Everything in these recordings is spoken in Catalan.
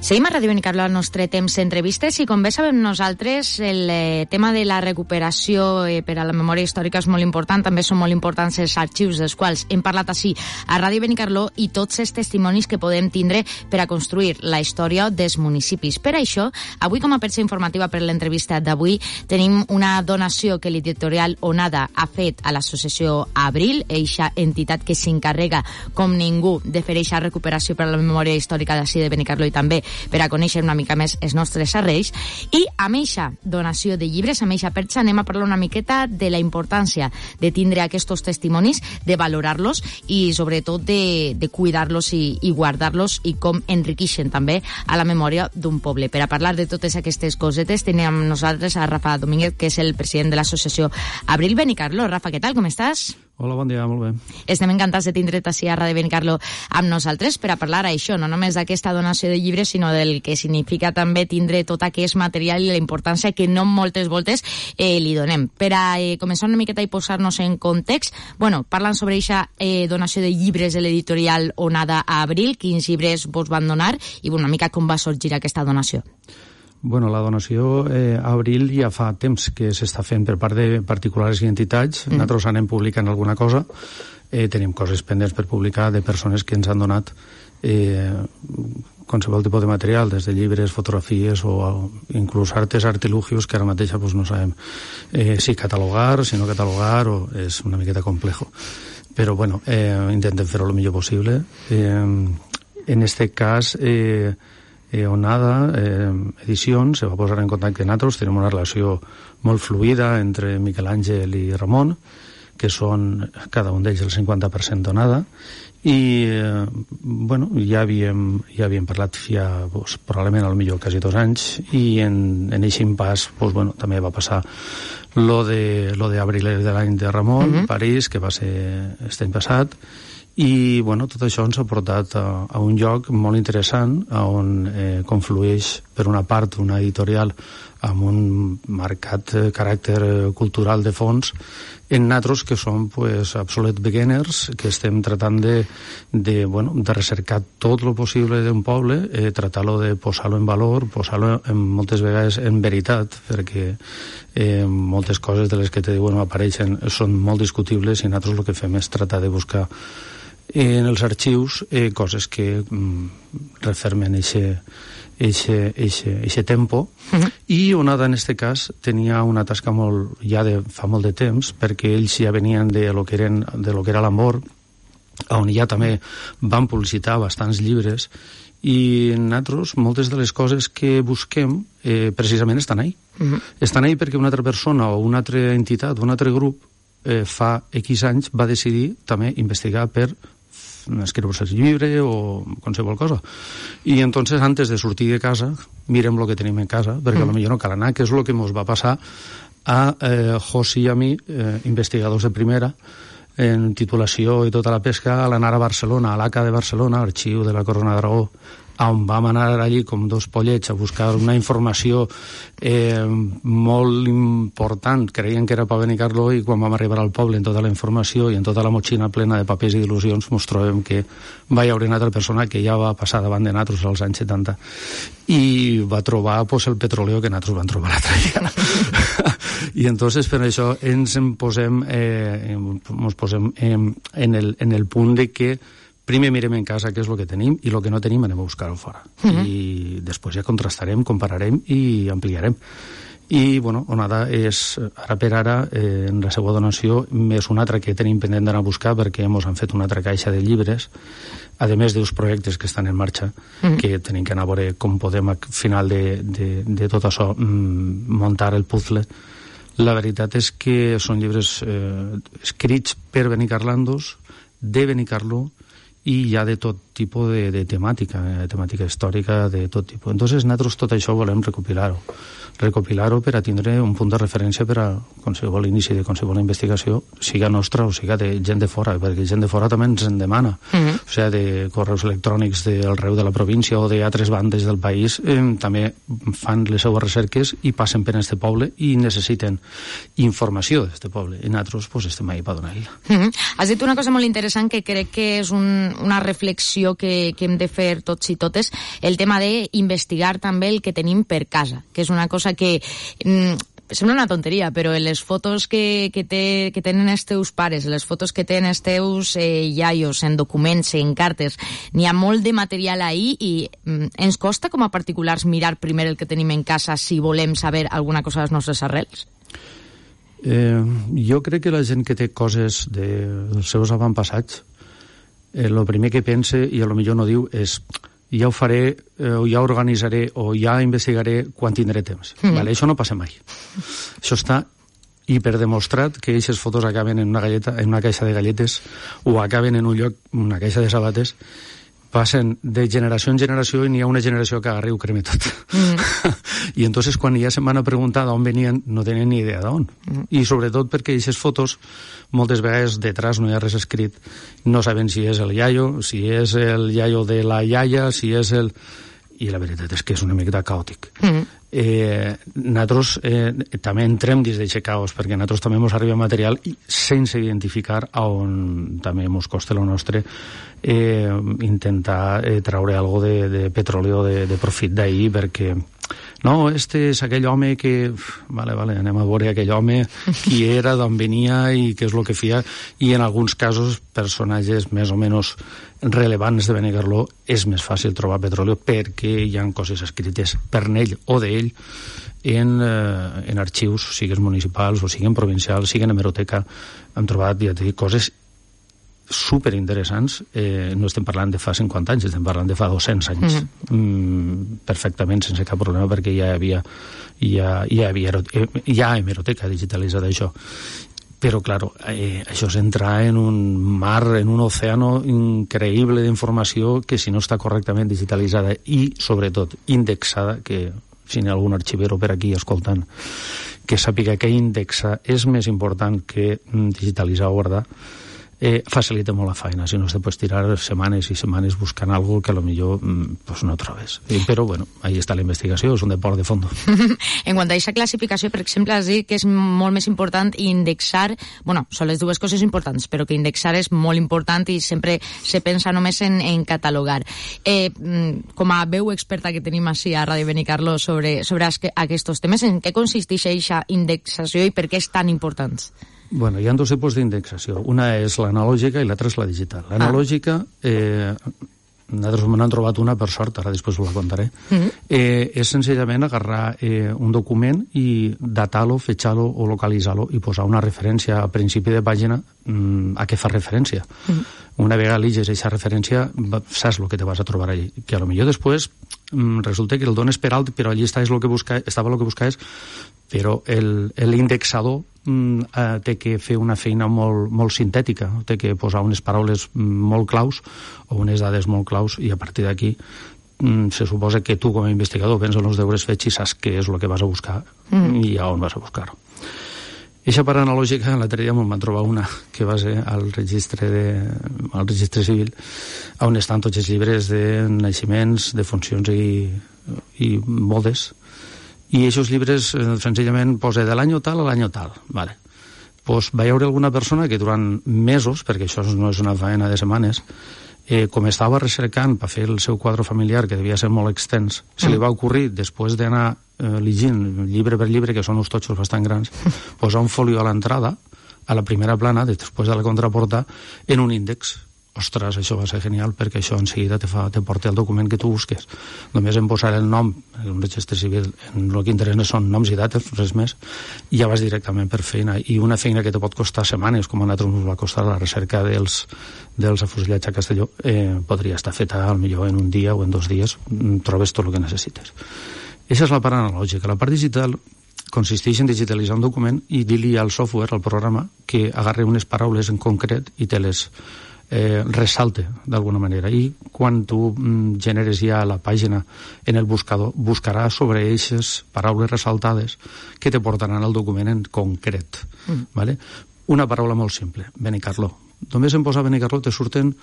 Seguim a Ràdio Benicarló al nostre temps d'entrevistes i com bé sabem nosaltres el tema de la recuperació per a la memòria històrica és molt important, també són molt importants els arxius dels quals hem parlat així a Ràdio Benicarló i tots els testimonis que podem tindre per a construir la història dels municipis. Per això, avui com a perxa informativa per l'entrevista d'avui tenim una donació que l'editorial Onada ha fet a l'associació Abril, eixa entitat que s'encarrega com ningú de fer eixa recuperació per a la memòria històrica d'ací de Benicarló i també per a conèixer una mica més els nostres arrels. I amb eixa donació de llibres, amb eixa perxa, anem a parlar una miqueta de la importància de tindre aquests testimonis, de valorar-los i sobretot de cuidar-los i guardar-los i com enriqueixen també a la memòria d'un poble. Per a parlar de totes aquestes cosetes tenim amb nosaltres a Rafa Domínguez, que és el president de l'associació Abril Benicarló. Rafa, què tal? Com estàs? Hola, bon dia, molt bé. Estem encantats de tindre't ací a Ràdio Benicarló amb nosaltres per a parlar això, no només d'aquesta donació de llibres, sinó del que significa també tindre tot aquest material i la importància que no moltes voltes li donem. Per a començar una miqueta i posar-nos en context, parlant sobre aquesta donació de llibres de l'editorial Onada a Abril, quins llibres vos van donar i una mica com va sorgir aquesta donació. La donació a Abril ja fa temps que s'està fent per part de particulars i entitats. Nosaltres anem publicant alguna cosa. Tenim coses pendents per publicar de persones que ens han donat qualsevol tipus de material, des de llibres, fotografies o inclús artilugios que ara mateix no sabem si catalogar, si no catalogar, o és una miqueta complejo. Però, intentem fer-ho el millor possible. En este cas, Onada Edicions se va posar en contacte amb nosaltres. Tenim una relació molt fluida entre Miquel Àngel i Ramon, que són cada un d'ells el 50% d'Onada, i ja havíem parlat ja probablement al millor quasi 2 anys, i en aquest impàs també va passar lo de Abril de l'any de Ramon, París, que va ser aquest any passat. I tot això ens ha portat a un lloc molt interessant on conflueix per una part una editorial amb un marcat caràcter cultural de fons en nosaltres que som absolute beginners, que estem tratant de recercar tot el possible d'un poble, tratar-lo de posar-lo en valor, posar-lo moltes vegades en veritat, perquè moltes coses de les que te diuen apareixen són molt discutibles i nosaltres el que fem és tratar de buscar en els arxius coses que refermen eixe tempo. I Onada en este cas tenia una tasca fa molt de temps, perquè ells ja venien de lo que era l'Ambor, on ja també van publicitar bastants llibres, i nosaltres moltes de les coses que busquem precisament estan ahí. Estan ahí perquè una altra persona o una altra entitat o un altre grup fa X anys va decidir també investigar per escriure el llibre o qualsevol cosa. I entonces, antes de sortir de casa, mirem el que tenim en casa, perquè potser no cal anar, que és el que ens va passar a José i a mi, investigadors de primera, en titulació i tota la pesca, a l'anar a Barcelona, a l'ACA de Barcelona, arxiu de la Corona d'Aragó, on vam anar allí com 2 pollets a buscar una informació molt important. Creien que era per Benicarló, i quan vam arribar al poble en tota la informació i en tota la motxina plena de papers i d'il·lusions ens trobem que va haver una altra persona que ja va passar davant de nosaltres als anys 70 i va trobar el petroleo que nosaltres vam trobar l'altre dia. I entonces per això ens posem en el punt de que primer mirem en casa què és el que tenim i el que no tenim anem a buscar-ho fora. I després ja contrastarem, compararem i ampliarem. I, Onada és, ara per ara, en la seva donació, més una altra que tenim pendent d'anar a buscar, perquè ens han fet una altra caixa de llibres, a més d'uns projectes que estan en marxa, que tenim que anar a veure com podem, al final de tot això, muntar el puzzle. La veritat és que són llibres escrits per benicarlandos, de Benicarló, i hi ha de tot tipus de temàtica històrica de tot tipus. Entonces, nosaltres tot això volem recopilar-ho per a tindre un punt de referència per a qualsevol inici de qualsevol investigació, siga nostra o siga de gent de fora, perquè gent de fora també ens en demana. o sigui, de correus electrònics del Reu de la província o d'altres bandes del país, també fan les seues recerques i passen per este poble i necessiten informació d'este poble. I nosaltres pues, estem ahí per donar-la. Has dit una cosa molt interessant que crec que és una reflexió que hem de fer tots i totes, el tema d'investigar també el que tenim per casa, que és una cosa que sembla una tonteria, però les fotos que tenen els teus pares, les fotos que tenen els teus iaios en documents, en cartes, n'hi ha molt de material ahí i ens costa com a particulars mirar primer el que tenim en casa si volem saber alguna cosa de les nostres arrels? Jo crec que la gent que té coses dels seus avantpassats, el primer que pense, i a lo millor no diu, és ja ho faré, o ja organitzaré, o ja investigaré quan tindré temps. Vale? Això no passa mai. Això està hiperdemostrat que aquestes fotos acaben en una caixa de galletes o acaben en un lloc, una caixa de sabates, passen de generació en generació i n'hi ha una generació que agarra i ho creme tot. I entonces quan ja se'n van a preguntar d'on venien no tenen ni idea d'on. I sobretot perquè aquestes fotos moltes vegades detrás no hi ha res escrit, no saben si és el iaio, si és el iaio de la iaia, si és el... I la veritat és que és una miqueta caòtic. Nosaltres també entrem dins d'aquest caos, perquè nosaltres també ens arriba material sense identificar on també ens costa el nostre intentar treure algo de petroli o de profit d'ahir, perquè no, este és aquell home que... Vale, anem a veure aquell home, qui era, d'on venia i què és el que feia, i en alguns casos personatges més o menys relevants de Benicarló és més fàcil trobar petroli perquè hi ha coses escrites per ell o d'ell en arxius, siguin municipals o siguin provincials, siguin hemeroteca. Hem trobat, ja t'he dit, coses superinteressants. No estem parlant de fa 50 anys, estem parlant de fa 200 anys. Perfectament, sense cap problema, perquè hi ha hemeroteca digitalitzada, això. Però, claro, això és entrar en un mar, en un océano increïble d'informació que si no està correctament digitalitzada i, sobretot, indexada, que si n'hi ha algun arxivero per aquí escoltant, que sàpiga que indexar és més important que digitalitzar o guardar, facilita molt la feina, si no te pots tirar setmanes i setmanes buscant algo que a lo millor pues no trobes. Però bueno, ahí està la investigació, és un deport de fondo. En quant a aquesta classificació, per exemple, has dit que és molt més important indexar, bueno, són les dues coses importants, però que indexar és molt important i sempre se pensa només en catalogar. Com a veu experta que tenim així a Ràdio Benicarló sobre aquests temes, en què consisteix aquesta indexació i per què és tan important? Bueno, hi ha dos tipus d'indexació. Una és l'analògica i l'altra és la digital. L'analògica, nosaltres m'han trobat una, per sort, ara després us la contaré, és senzillament agarrar un document i datar-lo, fetxar-lo o localitzar-lo i posar una referència a principi de pàgina a què fa referència. Una vegada llegis aquesta referència, saps el que te vas a trobar allí. Que a lo millor després resulta que el dones per alt, però allí estava el que buscaves, però l'indexador té que fer una feina molt sintètica, té que posar unes paraules molt claus o unes dades molt claus i a partir d'aquí se suposa que tu com a investigador vens els deures fets i saps què és el que vas a buscar i a on vas a buscar-ho. Eixa part analògica, l'altre dia me'n van trobar una que va ser al registre civil, on estan tots els llibres de naixements, de funcions i bodes. I aquests llibres senzillament posa de l'any tal a l'any tal. Vale. Pues va hi haver alguna persona que durant mesos, perquè això no és una faena de setmanes, com estava recercant per fer el seu quadre familiar, que devia ser molt extens, se li va ocorrir, després d'anar llegint llibre per llibre, que són uns totxos bastant grans, posar un folio a l'entrada, a la primera plana, després de la contraporta, en un índex. Ostres, això va ser genial, perquè això en seguida te porta el document que tu busques. Només en posar el nom, en un registre civil, en el que interessa són noms i dates, res més, i ja vas directament per feina. I una feina que te pot costar setmanes, com a nosaltres ens va costar la recerca dels afusellats a Castelló, podria estar feta millor en un dia o en 2 dies, trobes tot el que necessites. Aquesta és la part analògica. La part digital consisteix en digitalitzar un document i dir-li al software, al programa, que agarri unes paraules en concret i te les ressalte d'alguna manera, i quan tu generes ja la pàgina en el buscador, buscarà sobre aquestes paraules ressaltades que te portaran al document en concret. Vale? Una paraula molt simple, Benicarló. Només en posar Benicarló te surten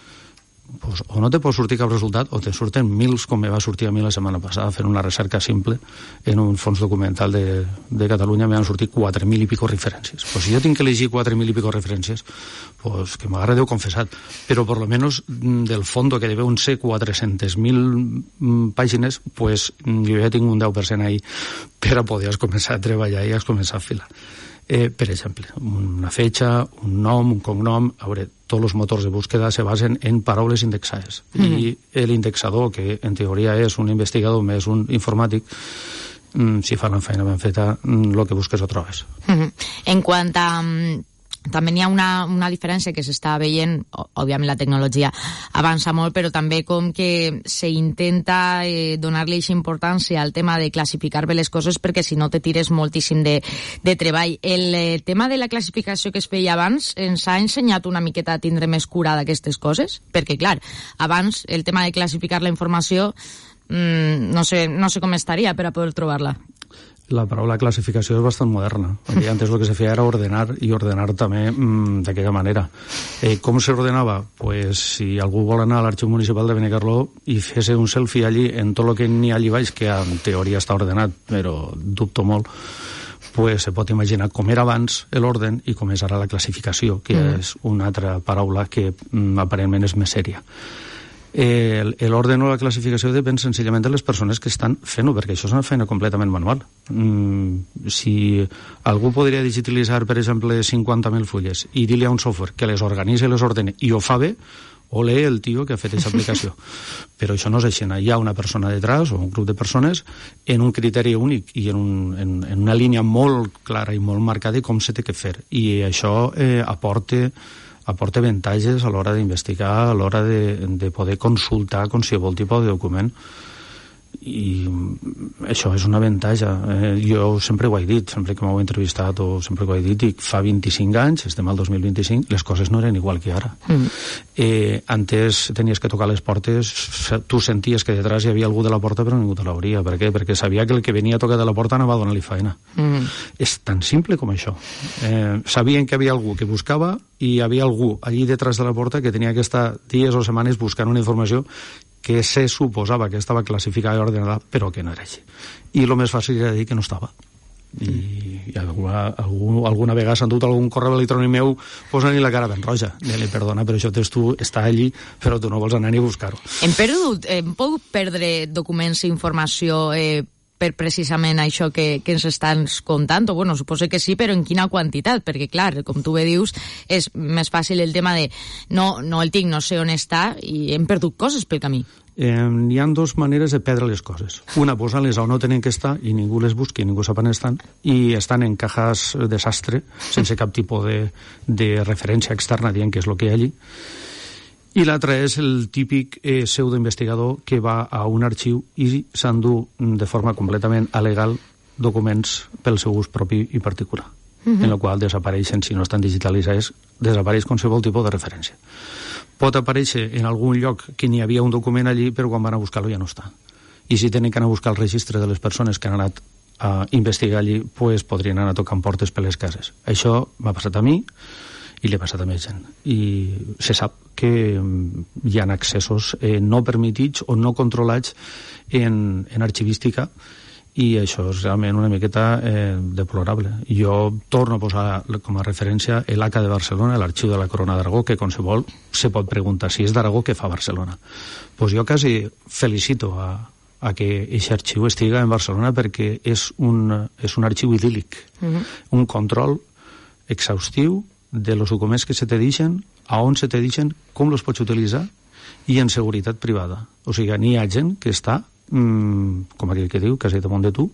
pues, o no te pot sortir cap resultat o te surten mils, com me va sortir a mi la setmana passada fent una recerca simple en un fons documental de Catalunya. Me van sortir 4.000 i pico referències. Pues si jo tinc que elegir 4.000 i pico referències, pues que m'agarre Déu confessat, però por lo menos del fondo que deuen ser 400.000 pàgines, pues jo ja tinc un 10% ahí per a poder començar a treballar i a començar a filar. Per exemple, una fetxa, un nom, un cognom, a veure, tots els motors de búsqueda se basen en paraules indexades. I l'indexador, que en teoria és un investigador més un informàtic, si fa la feina ben feta, el que busques ho trobes. En quant a... També hi ha una diferència que s'està veient, òbviament la tecnologia avança molt, però també com que s'intenta donar-li aquesta importància al tema de classificar bé les coses, perquè si no te tires moltíssim de treball. El tema de la classificació que es feia abans ens ha ensenyat una miqueta a tindre més cura d'aquestes coses, perquè clar, abans el tema de classificar la informació no sé com estaria per a poder trobar-la. La paraula classificació és bastant moderna. Antes el que se feia era ordenar, i ordenar també d'aquella manera. Com s'ordenava? Pues si algú vol anar a l'Arxiu Municipal de Benicarló i fes un selfie allí en tot el que n'hi ha allí baix, que en teoria està ordenat, però dubto molt, pues se pot imaginar com era abans l'orden i com és ara la classificació, que és una altra paraula que aparentment és més sèria. L'ordre o la classificació depèn senzillament de les persones que estan fent-ho, perquè això és una feina completament manual. Si algú podria digitalitzar, per exemple, 50.000 fulles i dir-li a un software que les organitza i les ordene i ho fa bé, ole el tio que ha fet aquesta aplicació. Però això no és així. Hi ha una persona detrás o un grup de persones en un criteri únic i en una línia molt clara i molt marcada de com se té que fer. I això aporta avantatges a l'hora d'investigar, a l'hora de poder consultar qualsevol tipus de document. I això és un avantatge. Jo sempre ho he dit, sempre que m'heu entrevistat o sempre que ho he dit, i fa 25 anys, estem al 2025, les coses no eren igual que ara. Antes tenies que tocar les portes, tu senties que detrás hi havia algú de la porta però ningú te l'obria. Per què? Perquè sabia que el que venia a tocar de la porta anava a donar-li feina. És tan simple com això. Sabien que hi havia algú que buscava i hi havia algú allí detrás de la porta que tenia que estar dies o setmanes buscant una informació que se suposava que estava classificada i ordenada, però que no era així. I el més fàcil era dir que no estava. I alguna vegada s'ha endut algun correu electrònic meu posant-li la cara ben roja. Dile, perdona, però això tu està allí, però tu no vols anar ni a buscar-ho. Hem pogut perdre documents i informació per precisament això que ens estan contant? O, bueno, suposo que sí, però en quina quantitat? Perquè, clar, com tu bé dius, és més fàcil el tema de no el tinc, no sé on està, i hem perdut coses pel camí. Hi ha dues maneres de perdre les coses. Una, posant-les on no tenen que estar i ningú les busqui, ningú sap on estan, i estan en cajas desastre, sense cap tipus de referència externa dient què és el que hi ha allí. I l'altre és el típic pseudoinvestigador que va a un arxiu i s'endú de forma completament alegal documents pel seu ús propi i particular, en el qual desapareixen, si no estan digitalitzats, desapareix qualsevol tipus de referència. Pot aparèixer en algun lloc que n'hi havia un document allí, però quan van a buscar-lo ja no està. I si tenen que anar a buscar el registre de les persones que han anat a investigar allí, pues podrien anar tocant portes per les cases. Això m'ha passat a mi, i li ha passat a més gent. I se sap que hi ha accessos no permitits o no controlats en arxivística, i això és realment una miqueta deplorable. Jo torno a posar com a referència l'ACA de Barcelona, l'Arxiu de la Corona d'Aragó, que qualsevol se pot preguntar si és d'Aragó, què fa Barcelona. Pues jo quasi felicito a que aquest arxiu estiga en Barcelona, perquè és un arxiu idíl·lic, un control exhaustiu de los documents que se te deixen, a on se te deixen, com los pots utilitzar, i en seguretat privada. O sigui, n'hi ha gent que està, com aquell que diu, quasi damunt de tu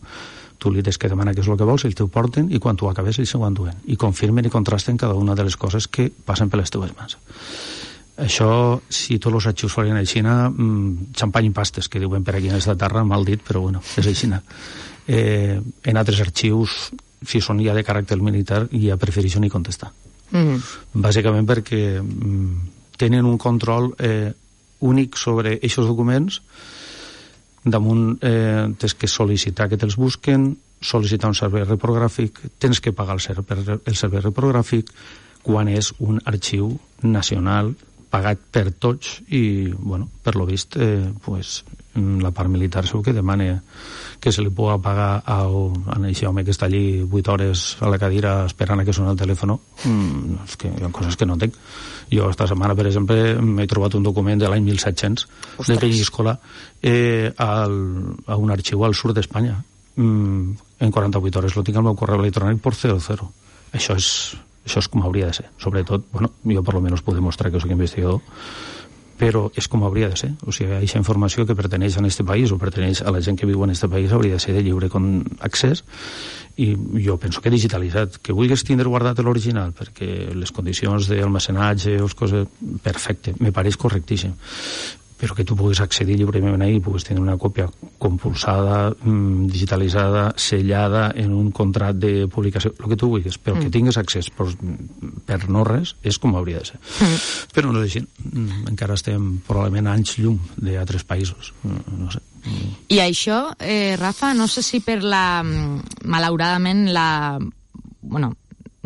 li tens que demanar què és el que vols, ells t'ho porten, i quan tu acabes ells s'ho enduen, i confirmen i contrasten cada una de les coses que passen per les teves mans. Això, si tots els arxius fossin a Xina, xampany i pastes, que diuen per aquí en esta terra, mal dit, però bueno, és a Xina. En altres arxius, si són ja de caràcter militar, ja prefereixo ni contestar. Bàsicament perquè tenen un control únic sobre aquests documents. Damunt tens que sol·licitar que te'ls busquen, sol·licitar un servei reprogràfic, tens que pagar el servei reprogràfic quan és un arxiu nacional pagat per tots i, bueno, per lo vist, pues, la part militar segur que demana que se li pugui pagar a aquest home que està allí 8 hores a la cadira esperant a que soni el telèfon. És que hi ha coses que no entenc. Jo esta setmana, per exemple, m'he trobat un document de l'any 1700 de Penyíscola a un arxiu al sud d'Espanya. En 48 hores lo tinc al meu correu electrònic por 00. Això és com hauria de ser. Sobretot, bueno, jo per lo menos puc demostrar que soc investigador, però és com hauria de ser. O sigui, aquesta informació que perteneix a aquest país o perteneix a la gent que viu en aquest país hauria de ser de lliure accés, i jo penso que digitalitzat. Que vulguis tindre guardat l'original perquè les condicions d'almacenatge o les coses, perfecte, me pareix correctíssim, però que tu puguis accedir lliurement ahí, puguis tenir una còpia compulsada, digitalitzada, sellada en un contracte de publicació, el que tu vulguis, però que tingues accés per no res, és com hauria de ser. Però no és així. Encara estem probablement anys llum d'altres països. No sé. I això, Rafa, no sé si per malauradament bueno,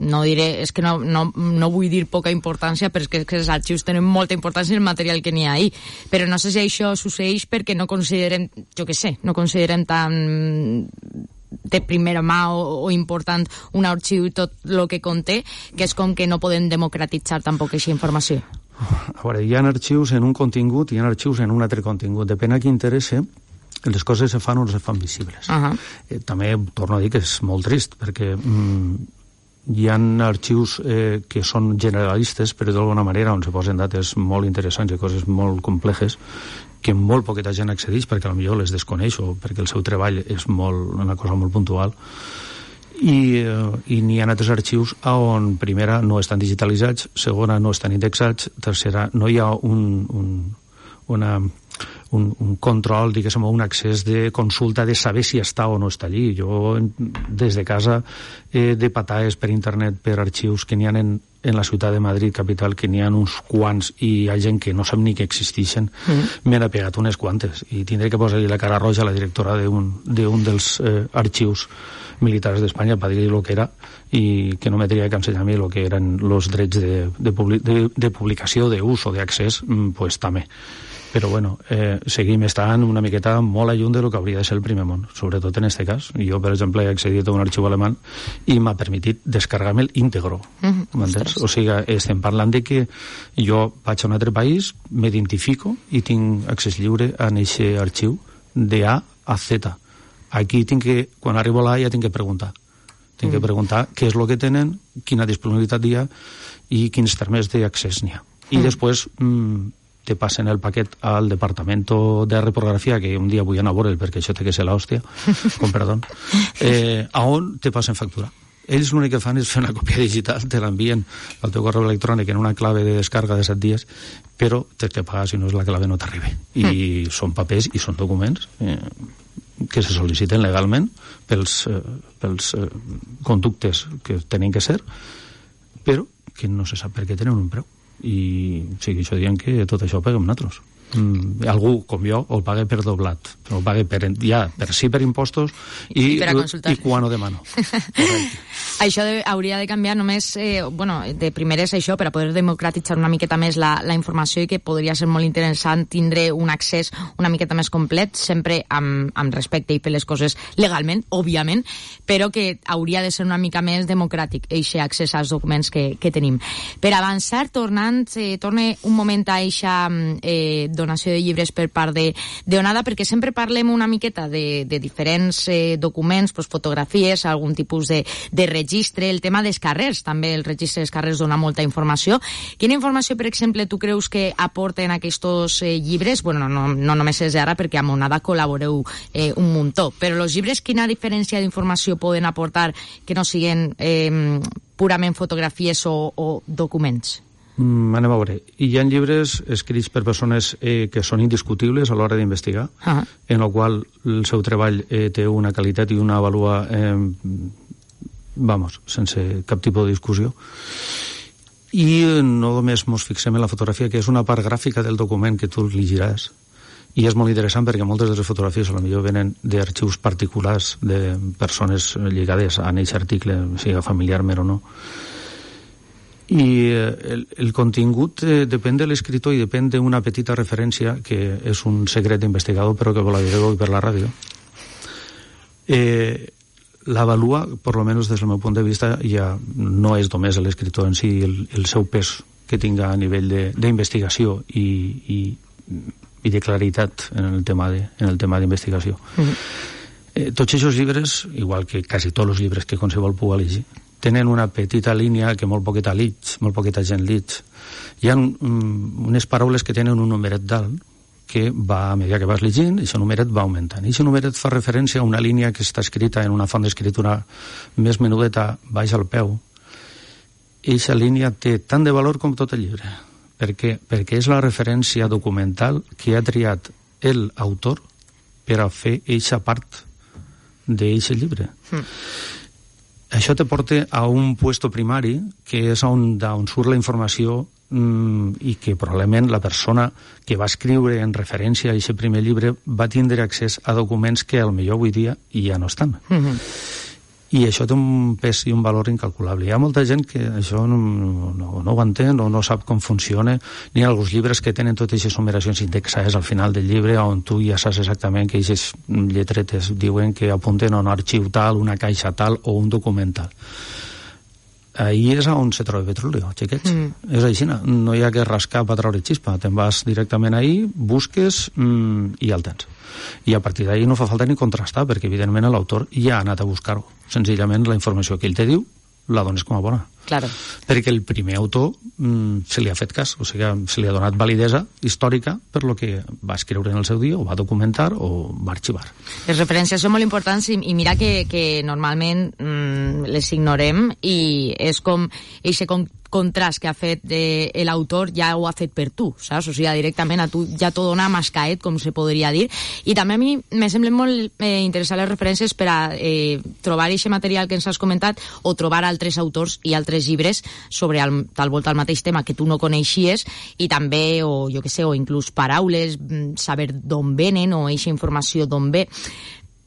no diré, és que no vull dir poca importància, perquè és que els arxius tenen molta importància en el material que n'hi ha ahí, però no sé si això succeeix perquè no considerem, jo què sé, no considerem tan de primera mà o important un arxiu i tot el que conté, que és com que no podem democratitzar tampoc aquesta informació. A veure, hi ha arxius en un contingut i hi ha arxius en un altre contingut. Depèn a qui interessa, les coses se fan o no se fan visibles. També torno a dir que és molt trist, perquè hi ha arxius que són generalistes, però d'alguna manera on se posen dates molt interessants i coses molt complexes que molt poqueta gent accedeix perquè potser les desconeix o perquè el seu treball és una cosa molt puntual. I n'hi ha altres arxius on, primera, no estan digitalitzats, segona, no estan indexats, tercera, no hi ha un control, diguéssim, un accés de consulta de saber si està o no està allí. Jo, des de casa, de pataes per internet, per arxius que n'hi ha en la ciutat de Madrid, capital, que n'hi ha uns quants i hi ha gent que no sap ni que existeixen, me n'ha pegat unes quantes. I tindré que posar-li la cara roja a la directora d'un dels arxius militars d'Espanya per dir-li el que era i que no me tenia que ensenyar a mi el que eren els drets de publicació, d'ús o d'accés, pues també. Però bueno, seguim estant una miqueta molt lluny del que hauria de ser el primer món, sobretot en aquest cas. Jo, per exemple, he accedit a un arxiu alemany i m'ha permitit descarregar-me'l íntegro. M'entens? O sigui, estem parlant de que jo vaig a un altre país, m'identifico i tinc accés lliure a aquest arxiu de A a Z. Aquí quan arribo a l'A ja tinc que preguntar. Tinc que preguntar què és el que tenen, quina disponibilitat hi ha i quins termes d'accés n'hi ha. I després te passen el paquet al departamento de reprografia, que un dia vull anar a veure'l perquè això té que ser l'hòstia, con perdó, a on te passen factura. Ells l'únic que fan és fer una còpia digital, te l'envien al teu correu electrònic en una clave de descarga de 7 dies, però tens que pagar, si no és la clave no t'arriba. I són papers i són documents que se sol·liciten legalment pels conductes que tenen que ser, però que no se sap per què tenen un preu. I sigui, això dient que tot això ho paguem nosaltres. Algú com jo el paga per doblat, però el paga per impostos i quan ho demano. Això hauria de canviar només, de primer és això, per a poder democratitzar una miqueta més la informació i que podria ser molt interessant tindre un accés una miqueta més complet, sempre amb respecte i fer les coses legalment, òbviament, però que hauria de ser una mica més democràtic aquest accés als documents que tenim. Per avançar, torne un moment a eixa donació de llibres per part d'Onada, perquè sempre parlem una miqueta de diferents documents, fotografies, algun tipus de registre, el tema dels carrers, també el registre dels carrers dona molta informació. Quina informació, per exemple, tu creus que aporten aquests llibres? Bueno, no només és ara, perquè amb Onada col·laboreu un muntó, però els llibres quina diferència d'informació poden aportar que no siguin purament fotografies o documents? Anem a veure. Hi ha llibres escrits per persones que són indiscutibles a l'hora d'investigar, en el qual el seu treball té una qualitat i una vàlua sense cap tipus de discussió. I no només ens fixem en la fotografia, que és una part gràfica del document que tu llegiràs, i és molt interessant perquè moltes de les fotografies potser venen d'arxius particulars de persones lligades a aquest article, sigui familiarment o no. I el contingut depèn de l'escriptor i depèn d'una petita referència, que és un secret d'investigador, però que la diré avui per la ràdio. L'avalua, per almenys des del meu punt de vista, ja no és només l'escriptor en si el seu pes que tinga a nivell d'investigació i de claritat en el tema d'investigació. Tots aquests llibres, igual que quasi tots els llibres que qualsevol pugui llegir, tenen una petita línia que molt poqueta gent lig. Hi ha unes paraules que tenen un numeret dalt que va, a mesura que vas llegint, aquest numeret va augmentant. I aquest numeret fa referència a una línia que està escrita en una font d'escriptura més menudeta baix al peu. I aquesta línia té tant de valor com tot el llibre. Per què? Perquè és la referència documental que ha triat l'autor per a fer aquesta part d'aquest llibre. Això te porta a un puesto primari, que és on surt la informació i que probablement la persona que va escriure en referència a aquest primer llibre va tindre accés a documents que potser avui dia ja no estan. I això té un pes i un valor incalculable. Hi ha molta gent que això no ho entén o no sap com funciona. N'hi ha alguns llibres que tenen totes aquestes numeracions indexades al final del llibre, on tu ja saps exactament que aquestes lletretes diuen que apunten a un arxiu tal, una caixa tal o un document tal. Ahí és on se troba petroli, xiquets. És així, no hi ha que rascar per treure xispa. Te'n vas directament ahí, busques i ja el tens. I a partir d'ahí no fa falta ni contrastar, perquè evidentment l'autor ja ha anat a buscar-ho. Senzillament la informació que ell te diu la dones com a bona. Claro. Perquè el primer autor se li ha fet cas, o sigui, se li ha donat validesa històrica per lo que va escriure en el seu dia, o va documentar, o va arxivar. Les referències són molt importants i mira que normalment les ignorem i és com eixe contrast que ha fet l'autor ja ho ha fet per tu, saps? O sigui, directament a tu ja t'ho dona mascaet, com se podria dir. I també a mi me semblen molt interessants les referències per a trobar aquest material que ens has comentat o trobar altres autors i altres llibres sobre tal volta el mateix tema que tu no coneixies i també, o jo què sé, o inclús paraules, saber d'on venen o eixa informació d'on ve.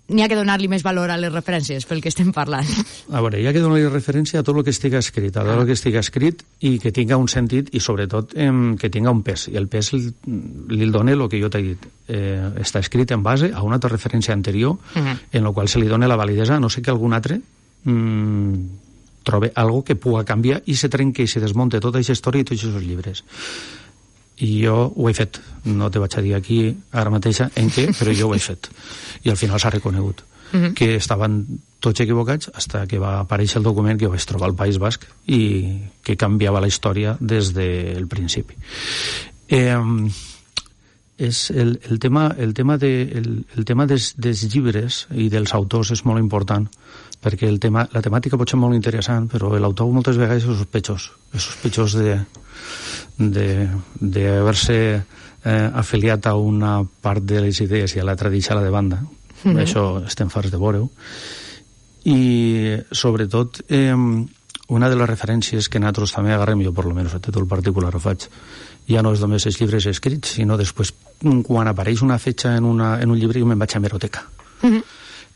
N'hi ha que donar-li més valor a les referències pel que estem parlant. A veure, hi ha que donar-li referència a tot el que estigui escrit, a tot el que estigui escrit i que tinga un sentit i sobretot que tinga un pes. I el pes li dona el que jo t'he dit. Està escrit en base a una altra referència anterior en la qual se li dona la validesa, no sé que algun altre trobe algo que pugui canviar i se trenque i se desmonte tota aquesta història i tots aquests llibres. I jo ho he fet, no te vaig a dir aquí ara mateixa en què, però jo ho he fet i al final s'ha reconegut que estaven tots equivocats fins que va aparèixer el document que vaig trobar al País Basc i que canviava la història des del principi. És el tema dels llibres i dels autors és molt important perquè la temàtica pot ser molt interessant, però l'autor moltes vegades és sospechós d'haver-se afiliat a una part de les idees i a l'altra deixar-la de banda. Això estem farts de veure-ho. I sobretot una de les referències que nosaltres també agarrem, jo per almenys a títol particular ho faig, ja no és només els llibres escrits, sinó després quan apareix una fetge en un llibre jo me'n vaig a hemeroteca.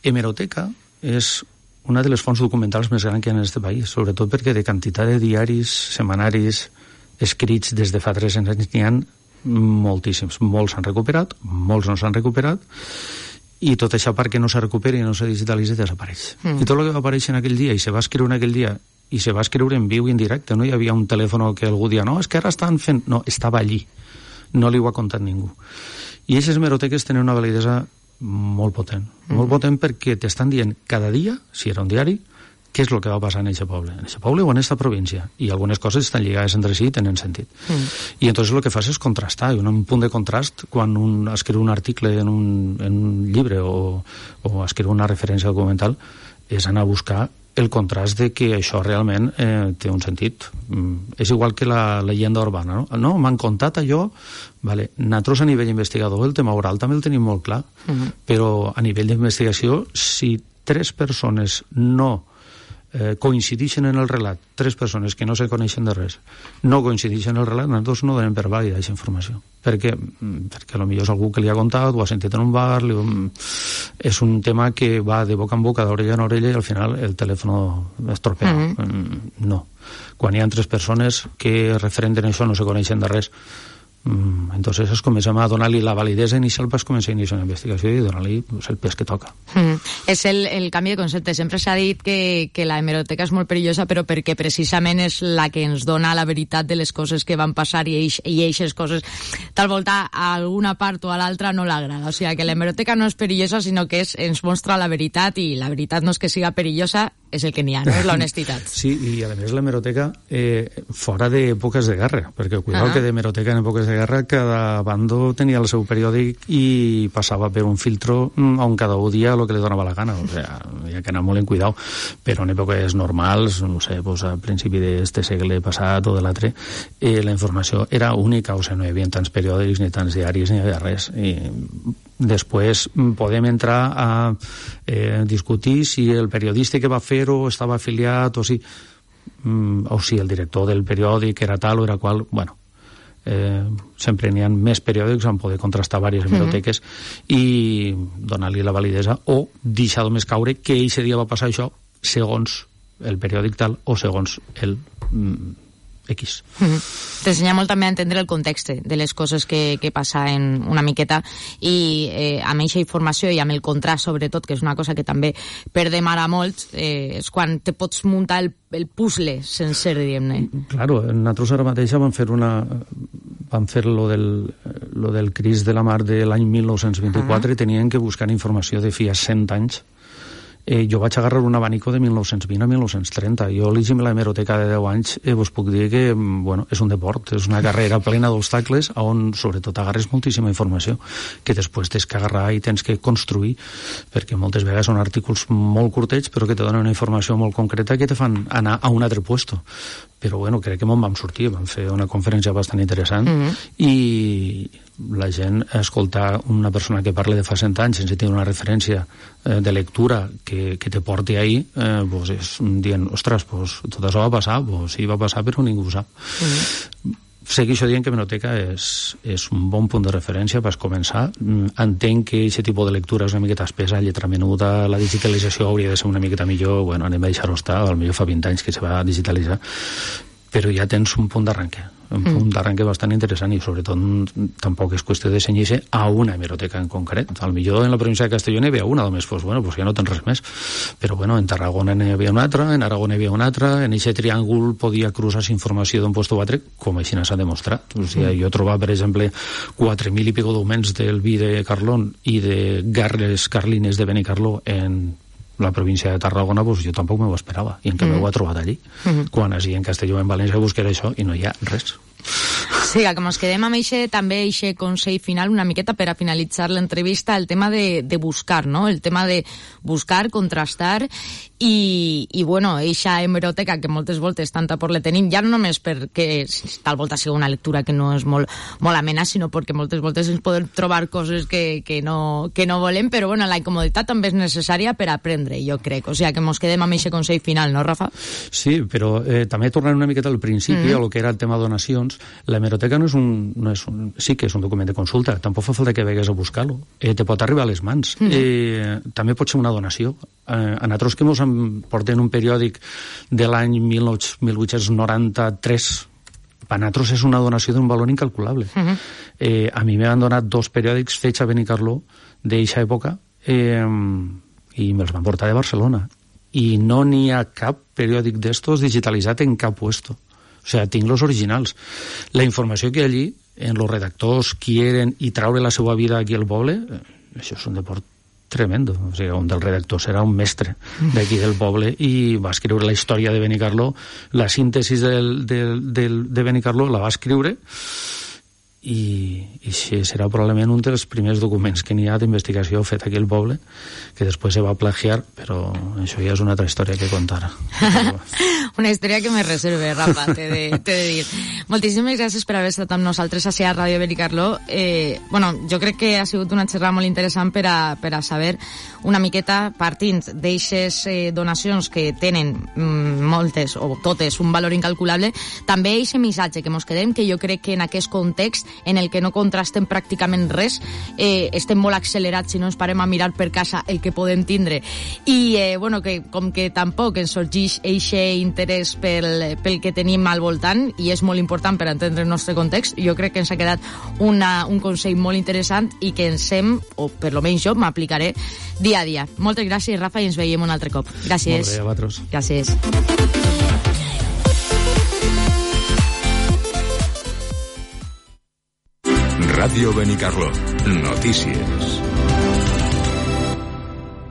Hemeroteca és una de les fonts documentals més grans que hi ha en aquest país, sobretot perquè de quantitat de diaris, setmanaris, escrits des de fa 3 anys n'hi ha moltíssims. Molts s'han recuperat, molts no s'han recuperat, i tota aquesta part que no se recupera i no se digitalitza desapareix. I tot el que va aparèixer en aquell dia i se va escriure en aquell dia i se va escriure en viu i en directe, no hi havia un telèfon que algú dia, no, és que ara estan fent... No, estava allí, no li ho ha contat ningú. I aquestes hemeroteques tenen una validesa molt potent perquè t'estan dient cada dia, si era un diari, què és el que va passar en aquest poble o en aquesta província, i algunes coses estan lligades entre si i tenen sentit. I entonces el que fas és contrastar, i un punt de contrast quan un escriu un article en un llibre o escriu una referència documental és anar a buscar el contrast de que això realment té un sentit. És igual que la llegenda urbana, no? M'han contat allò, vale. Nosaltres a nivell investigador el tema oral també el tenim molt clar, però a nivell d'investigació, si 3 persones no coincideixen en el relat 3 persones que no se coneixen de res, no coincideixen en el relat, nosaltres no donem per vàlida aquesta informació. Perquè potser és algú que li ha contat, ho ha sentit en un bar, és un tema que va de boca en boca, d'orella en orella, i al final el telèfon es tropea. No. Quan hi ha 3 persones que referenten això no se coneixen de res, entonces es comencem a donar-li la validesa inicial per començar a iniciar una investigació i donar-li el pes que toca. És el canvi de concepte. Sempre s'ha dit que la hemeroteca és molt perillosa, però perquè precisament és la que ens dona la veritat de les coses que van passar i eixes coses tal volta a alguna part o a l'altra no l'agrada. O sigui que la hemeroteca no és perillosa, sinó que ens mostra la veritat, i la veritat no és que siga perillosa, és el que n'hi ha, no? És l'honestitat. Sí, i a més l'hemeroteca fora d'èpoques de guerra, perquè cuidado que d'hemeroteca en èpoques de guerra cada bando tenia el seu periòdic i passava per un filtro on cada un dia el que li donava la gana, o sigui, hi ha que anar molt en cuidado, però en èpoques normals, no sé, pues a principi d'este segle passat o de l'altre, la informació era única, o sigui, no hi havia tants periòdics ni tants diaris, ni hi havia res, i després podem entrar a discutir si el periodista que va fer-ho estava afiliat o si el director del periòdic era tal o era qual. Bueno, sempre n'hi ha més periòdics on poder contrastar diverses hemeroteques i donar-li la validesa o deixar només caure que aquest dia va passar això segons el periòdic tal o segons el X. T'ensenya molt també a entendre el context de les coses que passen una miqueta, i amb aquesta informació i amb el contrast sobretot, que és una cosa que també perdem ara molt, és quan te pots muntar el puzzle sencer, diguem-ne. Claro, nosaltres ara mateix vam fer lo del Cris de la Mar de l'any 1924 i tenien que buscar informació de fi a 100 anys. Jo vaig agarrar un abanico de 1920 a 1930. Jo llegim la hemeroteca de 10 anys, vos puc dir que és un deport, és una carrera plena d'obstacles on sobretot agarres moltíssima informació que després tens que agarrar i tens que construir, perquè moltes vegades són artículs molt curtets però que te donen una informació molt concreta que te fan anar a un altre puesto. Però bueno, crec que me'n vam sortir, vam fer una conferència bastant interessant i la gent escoltar una persona que parla de fa 100 anys sense tenir una referència de lectura que te porti ahí, pues és dient, ostres, pues tot això va passar, pues sí, va passar però ningú ho sap. Segueixo dient que hemeroteca és un bon punt de referència per començar. Entenc que aquest tipus de lectura és una miqueta espesa, lletra menuda, la digitalització hauria de ser una miqueta millor, bueno, anem a deixar-ho estar, potser fa 20 anys que se va digitalitzar, però ja tens un punt d'arranque, bastant interessant, i sobretot tampoc és qüestió de cenyir-se a una hemeroteca en concret. Al millor en la província de Castelló n'hi havia una, només, pues ja no tens res més. Però bueno, en Tarragona n'hi havia una altra, en Aragó n'hi havia una altra, en aquest triàngul podia cruzar-se informació d'un lloc a l'altre, com així s'ha demostrat. O sigui, jo trobar, per exemple, 4.000 i pico documents del vi de Carlón i de garles carlines de Benicarló en la província de Tarragona, pues jo tampoc m'ho esperava, i en canvi ho ha trobat allí. Quan així en Castelló, en València, buscaré això i no hi ha res. Sí, que ens quedem amb també eixe consell final, una miqueta per a finalitzar l'entrevista, el tema de buscar, no? El tema de buscar, contrastar i bueno, eixa hemeroteca que moltes voltes tanta por le tenim, ja no només perquè tal volta sigui una lectura que no és molt amena, sinó perquè moltes voltes ens podem trobar coses que no volem, però bueno, la incomoditat també és necessària per aprendre, jo crec. O sigui, que ens quedem amb eixe consell final, no, Rafa? Sí, però també tornant una miqueta al principi, a lo que era el tema de donacions, la hemeroteca sí que és un document de consulta, tampoc fa falta que vegues a buscar-lo, te pot arribar a les mans, també pot ser una donació. A nosaltres que ens porten un periòdic de l'any 1893, per nosaltres és una donació d'un valor incalculable. A mi m'han donat 2 periòdics fets a Benicarló d'eixa època i me'ls van portar de Barcelona, i no n'hi ha cap periòdic d'estos digitalitzat en cap puesto. O sigui, tinc los originals. La informació que allí, en los redactors quieren i traure la seva vida aquí al poble, això és un deport tremendo. O sigui, un dels redactors era un mestre d'aquí del poble i va escriure la història de Benicarló, la síntesi de Benicarló la va escriure i això serà probablement un dels primers documents que n'hi ha d'investigació fet aquí al poble, que després se va plagiar, però això ja és una altra història que contar. Una història que me reserve, Rafa, t'he de dir. Moltíssimes gràcies per haver estat amb nosaltres a Ràdio Benicarló. Jo crec que ha sigut una xerrada molt interessant per a saber una miqueta, partint d'eixes donacions que tenen moltes o totes un valor incalculable, també eixe missatge que mos quedem, que jo crec que en aquest context en el que no contrastem pràcticament res, estem molt accelerats si no ens parem a mirar per casa el que podem tindre, i que com que tampoc ens sorgeix eixe interès pel que tenim al voltant, i és molt important per entendre el nostre context, jo crec que ens ha quedat un consell molt interessant i que ens o per lo menys jo m'aplicaré dia a dia. Moltes gràcies, Rafa, i ens veiem un altre cop. Gràcies. Molt bé, a vosaltres. Gràcies. Ràdio Benicarló. Notícies.